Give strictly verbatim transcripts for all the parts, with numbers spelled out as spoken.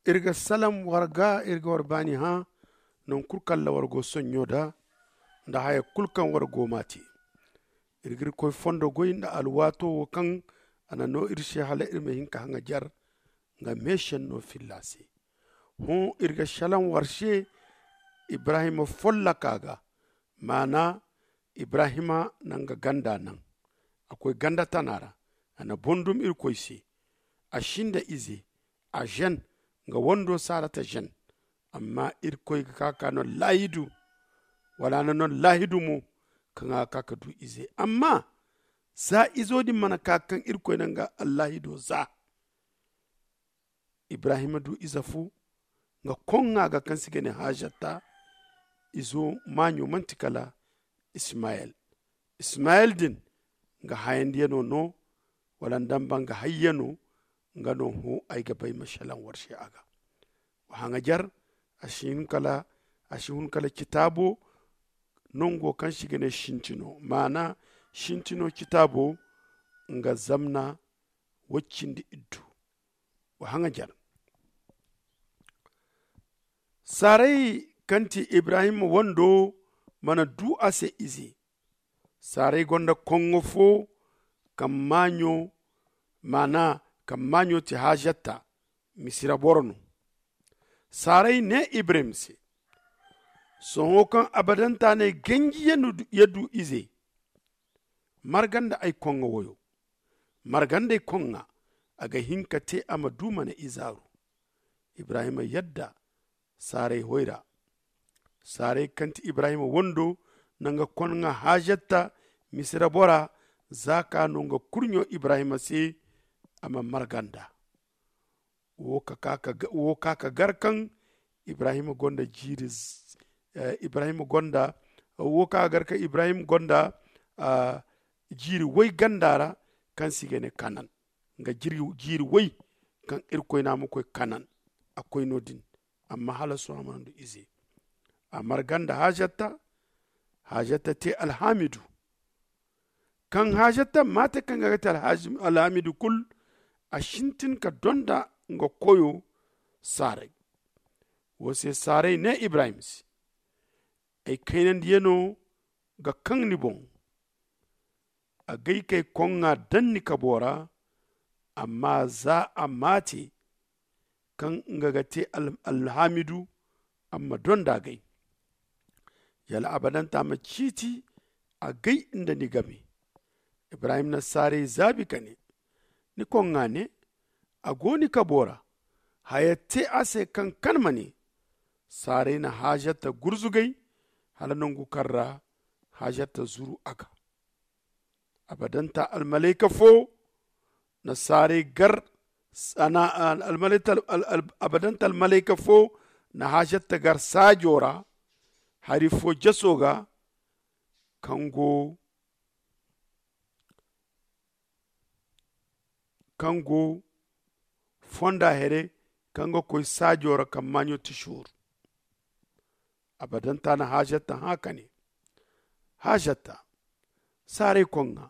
Iri ga salaŋ war ga, iri ga war baani hã, nangu kulu kaŋ ra war go soɲɲo da, nda haya kulu kaŋ war go m'a te. Iri ga irkoy fondo goy nda alwaato wo kaŋ a na no iri se hala iri ma hin ka haŋajer nga meešenno filla se. Hõ, iri ga salaŋ war se ibrahima folloka ga, maana ibrahima na nga ganda naŋ. A koy ganda tana ra, a na bondum irkoy se. A sinda ize, a žen, nga wando sarata žen. Amma irkoy ga ka ka no laahidu, wala a na no laahidu mo, kaŋ a ga ka ka du ize. Amma za izo din mana ka kaŋ irkoy na nga allaahido za, ibrahima du ize fo, nga koŋŋa ga kaŋ se i ga ne haazatta. Izo maaɲo manti kala ismayel. Ismayel din, nga hayandiyano no, wala nda nba nga hayyano. Nga no hõ ay ga bay ma salaŋ war se a ga. Wa haŋajer, a si hun kala, a si hun kala citaabo nango kaŋ se i ga ne sintino, maana sintino citaabo, nga zamna woy cindi iddu. Wa haŋajer, saaray kaŋ ti ibrahima wando mana du a se ize. Saaray gonda koŋŋo fo kaŋ maaɲo, maana kaŋ maaɲo ti haazatta, misira boro no. Saaray ne ibrahima se, sohõ kaŋ abadanta ne ganji ya du ize, marga nda ay koŋŋa woyo. Marga nda ay koŋŋa, a ga hin ka te a ma du mana izaaru. Ibrahima yadda. Saaray hoy ra. Saaray kaŋ ti ibrahima wando, na nga koŋŋa haazatta, misira bora, za ka no nga kurɲo ibrahima se, a ma marga nd'a. Wo ka ka gar kaŋ ibrahima gonda jiiri, ibrahima gonda wo ka gar kaŋ ibrahima gonda jiiri woy ganda ra, kaŋ se i ga ne kanan. Nga jiiri woy kaŋ irkoy ne a ma koy kanan, a koy no- din. Amma hala sohõ a mana du ize. A marga nda haazatta. Haazatta te alhaamidu. Kaŋ haazatta ma te kaŋ ga ga te alhaamidu kulu, a sintin ka donda nga koyo saaray. Wo se saaray ne ibrahima se, ay kaynandiyano ga kaŋ ni boŋ. Agay kay koŋŋa daŋ ni kabo ra. Amma za a maate kaŋ nga ga te alhaamidu, a ma donda agay. Yala abadanta ma ciiti agay nda ni game. Ibrahim na saaray zaabi ka ne, ni koŋŋa ne, a go ni kabo ra. Haya te a se kaŋ kan ma ne. Saaray na haazatta gurzugay hala nangu kaŋ ra haazatta zuru a ga. Abadanta almalayka fo na saaray gar. Abadanta almalayka fo na haazatta gar saajo ra hari fo jaso ga. Kaŋ go kaŋ go fonda here kaŋ ga koy saajo ra kaŋ maaɲo ti sooru. Abadanta na haazatta hã ka ne, haazatta, saaray koŋŋa,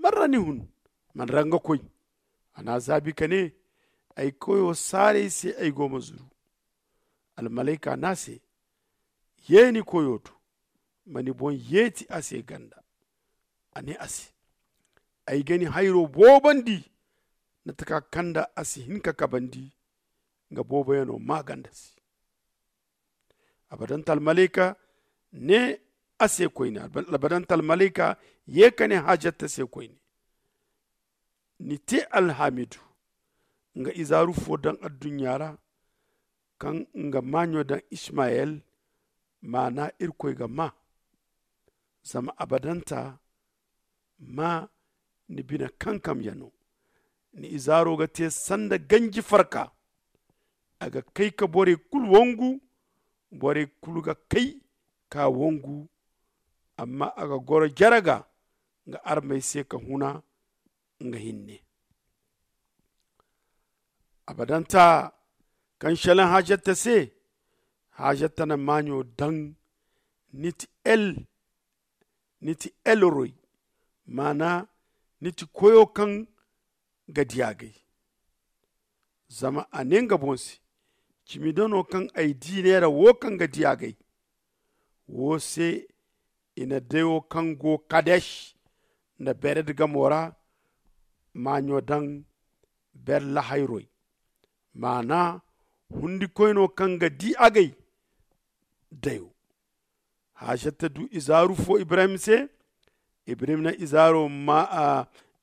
man ra ni hun? Man ra nga koy? A n'a zaabi ka ne, ay koyo saaray se ay go ma zuru. Almalayka ne a se, ye ni koyo do. Ma ni boŋ yeeti a se ganda. A ne a se, ay ga ni hayro boobandi. Mate kaŋ a kand'a a si hin ka kabandi. Nga booboyaŋo maa ganda se. Abadanta almalayka ne a se koyne. Abadanta almalayka ye ka ne haazatta se koyne, ni te alhaamidu. Nga izaaru fo daŋ adduɲɲa ra kaŋ nga maaɲo daŋ ismayel. Maana irkoy ga maa. Zama abadanta ma ni bine kankamyaŋo. Ni izaaro ga te sanda ganji farka. A ga kay ka borey kulu wangu. Borey kulu ga kay ka wangu. Amma a ga goro jere ga nga armey se ka huna nga hinne. Abadanta kaŋ selaŋ haazatta se. Haazatta na maaɲo daŋ. Ni ti el ni ti elroy. Maana ni ti koyo kaŋ ga di agay. Zama a ne nga boŋ se, Cimi dano kaŋ ay di neera wo kaŋ ga di agay wo se, i na dayo kaŋ go kadesh nda bered gamo ra maaɲo daŋ. Berlahayroy maana, hundikoyno kaŋ ga di agay dayo. Hajata du izaaru fo ibrahim se. Ibrahim na izaaro ma a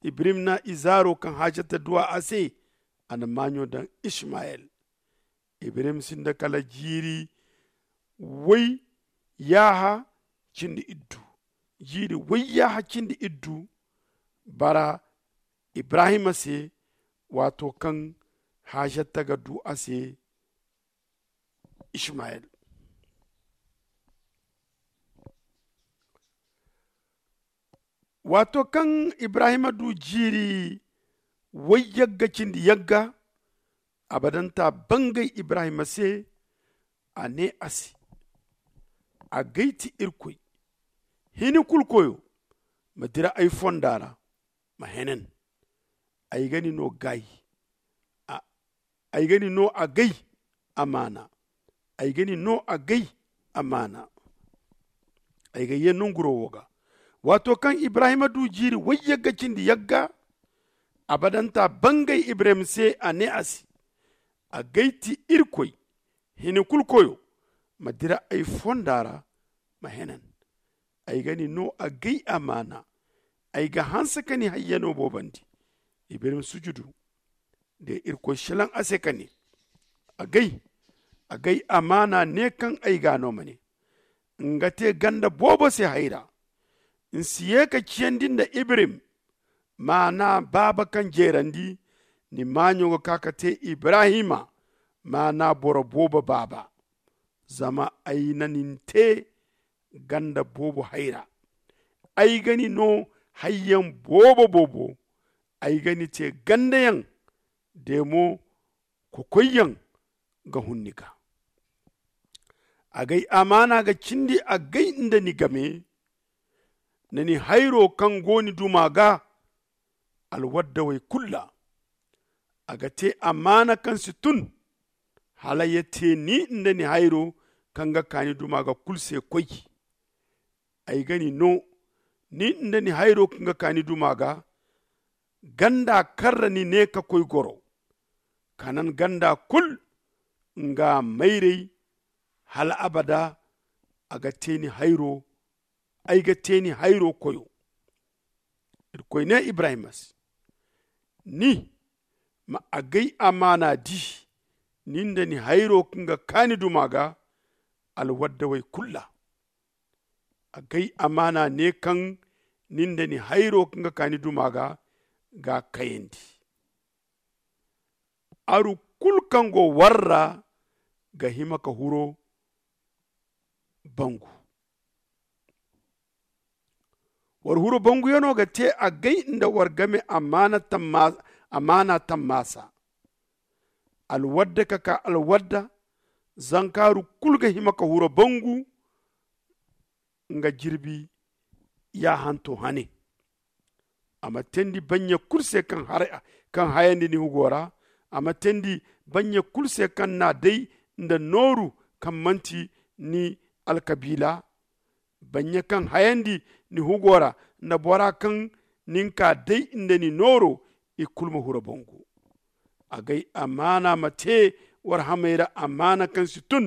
ibrahim na izaaro kaŋ hajata du a se. A na maaɲo daŋ ishmayel. Ibrahim sinda kala jiiri way yaaha cindi iddu. Jiiri way yaaha cindi iddu bara ibrahima se. Waato kaŋ hajata ga du a se ishmayel. Waato kaŋ ibrahima du jiiri way yagga cindi yagga, abadanta bangay ibrahima se. A ne a se, agay ti irkoy hini kulu koyo, ma dira ay fonda ra, ma henen. Ay ga ni no gaayi. Ay ga ni no agay amaana. Ay ga ni no agay amaana. Ay ga ye nanguro wo ga. Waato kaŋ ibrahima du jiiri way yagga cindi yagga, abadanta bangay ibrahim se a ne a se, agay ti irkoy hini kulu koyo, ma dira ay fonda ra, ma henen. Ay ga ni no agay amaana. Ay ga hanse ka ni hayyano boobandi. Ibrahim sujudu de irkoy shelaŋ a se ka ne, agay agay amaana ne kaŋ ay ga no ma ne, nga te ganda boobo se hayra. Ni si ye ka ciyandi nda ibrahim, maana baaba kaŋ jeerandi. Ni maaɲo ga ka ka te ibrahima, maana boro boobo baaba. Zama ay na nin te ganda boobo hayra. Ay ga ni no hayyaŋ boobo boobo. Ay ga ni te gandayaŋ de mo kokoyyaŋ ga hun ni ga. Agay amaana ga cindi agay nda ni game. Na ni hayro kaŋ go ni duma ga alwaddawey kulu ra. A ga te amaana kaŋ si tun hala ya te ni nda ni hayro kaŋ ga ka ni duma ga kulu se koy. Ay ga ni no ni nda ni hayro kaŋ ga ka ni duma ga ganda kaŋ ra ni ne ka koy goro. Kanan ganda kulu nga mayray hala abada. A ga te ni hayro. Ay ga te ni hayro koyo. Irkoy ne ibrahima se, ni ma agay amaana di ni nda ni hayro kaŋ ga ka ni duma ga alwaddawey kulu ra. Agay amaana ne kaŋ ni nda ni hayro kaŋ ga ka ni duma ga ga kayandi. Aru kulu kaŋ go war ra ga hima ka huro bangu. War huro banguyano ga te agay nda war game amaana tammaasa. Alwadda ka ka alwadda. Zankaaru kulu ga hima ka huro bangu nga jirbi yaahanto hane. A ma teendi banɲe kulu se kaŋ hayandi ni hugo ra. A ma teendi banɲe kulu se kaŋ n'a day nda nooru kaŋ manti ni alkabiila. Banɲe kaŋ hayandi ni hugo ra nda bora kaŋ nin ka day nda ni nooro. I kulu ma huro bangu. Agay amaana ma te war hamey ra amaana kaŋ si tun.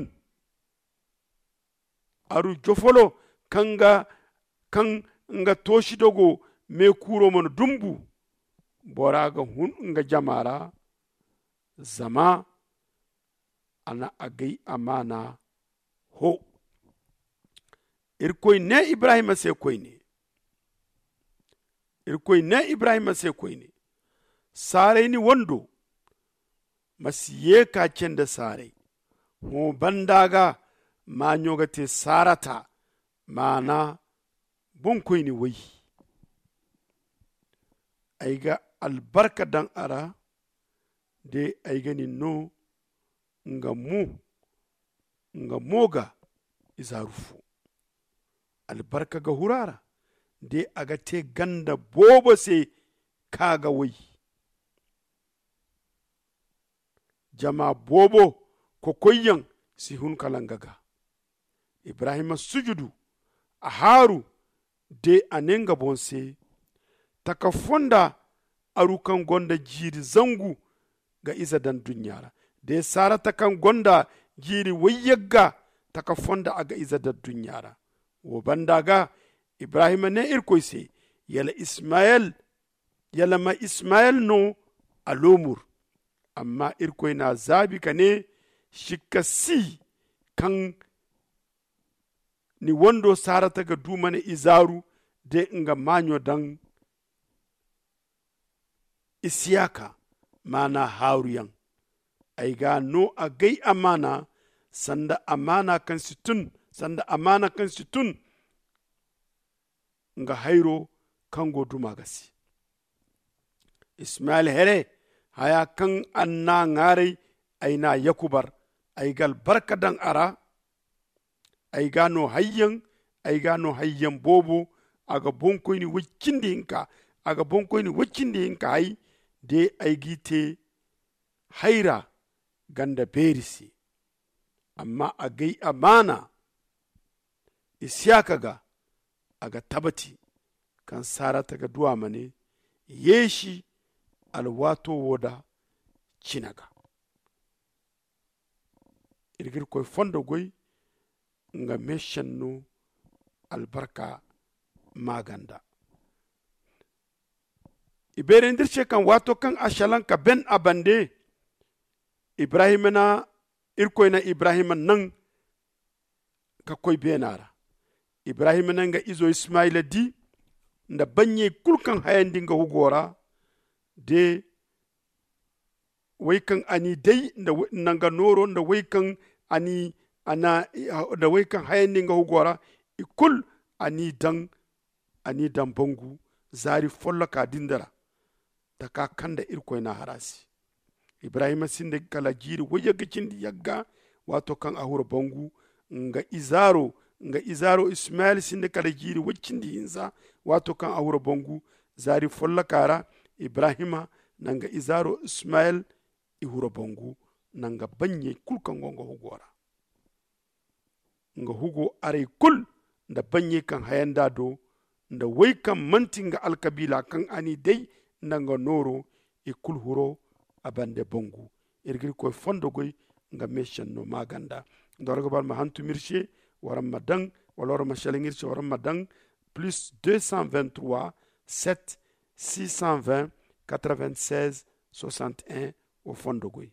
Aru jofolo kaŋ nga toosi dogo meekuuro mana dumbu. Bora ga hun nga jama ra. Zama a na agay amaana ho. Irkoy ne ibrahima se koyne. Irkoy ne ibrahima se koyne, saaray ni wando. Ma si ye ka cende saaray. Hõ banda ga maaɲo ga te saarata. Maana boŋkoyne way. Ay ga albarka daŋ a ra de ay ga ni no nga mo nga mo ga izaaru fo. Albarka ga huru a ra de a ga te ganda boobo se ka ga way. Jama boobo kokoyyaŋ si hun kala nga ga. Ibrahima sujudu, a haaru, de a ne nga boŋ se, taka fonda aru kaŋ gonda jiiri zangu ga ize daŋ duɲɲa ra. De sarata kaŋ gonda jiiri wayyagga, taka fonda a ga ize daŋ duɲɲa ra. Wo banda ga, ibrahima ne irkoy se, yala ismayel yala ma ismayel no a loomur? Amma irkoy n'a zaabi ka ne, sikka si kaŋ ni wando sarata ga du ma ne izaaru de nga maaɲo daŋ isiyaka, maana haaruyaŋ. Ay ga no a gay amaana sanda amaana kaŋ si tun sanda amaana kaŋ si tun nga hayro kaŋ go duma ga se. Ismayel here, haya kaŋ a n'a ŋaaray, ay n'a yakubar, ay ga albarka daŋ a ra. Ay ga no hayyaŋ ay ga no hayyaŋ boobo. A ga boŋkoyni way cindi hinka a ga boŋkoyni way cindi hinka hay de ay g'i te hayra ganda beeri se. Amma a gay amaana isiyaka ga, a ga tabati kaŋ sarata ga du a ma ne yeesi alwaato wo da cina ga. Iri ga irkoy fondo goy nga meesenno albarka maaganda. I beerandi iri se kaŋ waato kaŋ a salaŋ ka ben a bande, ibrahima na irkoy na ibrahima naŋ ka koy beena ra. Ibrahima na nga izo ismayila di nda banɲey kulu kaŋ hayandi nga hugo ra de way kaŋ a n'i day nda nga nooro nda way kaŋ a n'i nda way kaŋ hayandi nga hugo ra. I kulu a n'i daŋ a n'i daŋ bangu zaari folloka din da ra. Taka kaŋ nda irkoy n'a har a se. Ibrahima sinda kala jiiri wayyagga cindi yagga waato kaŋ a huru bangu nga izaaro nga izaaro ismayel sinda kala jiiri way cindi hinza. Waato kaŋ a huru bangu zaari folloka ra, ibrahima na nga izaaro ismayel i huru bangu na nga banɲey kulu kaŋ go nga hugo ra. Nga hugo aray kulu nda banɲey kaŋ hayanda do nda way kaŋ manti nga alkabiila kaŋ a n'i day nda nga nooro i kulu huro a bande bangu. Iri ga irkoy fondo goy nga meesenno maaganda. Nda war ga ba war ma hantum iri se war ma daŋ wala war ma salaŋ iri se war ma daŋ plus deux cent vingt-trois sept six cent vingt quatre-vingt-seize soixante-un. Wo fondo goy.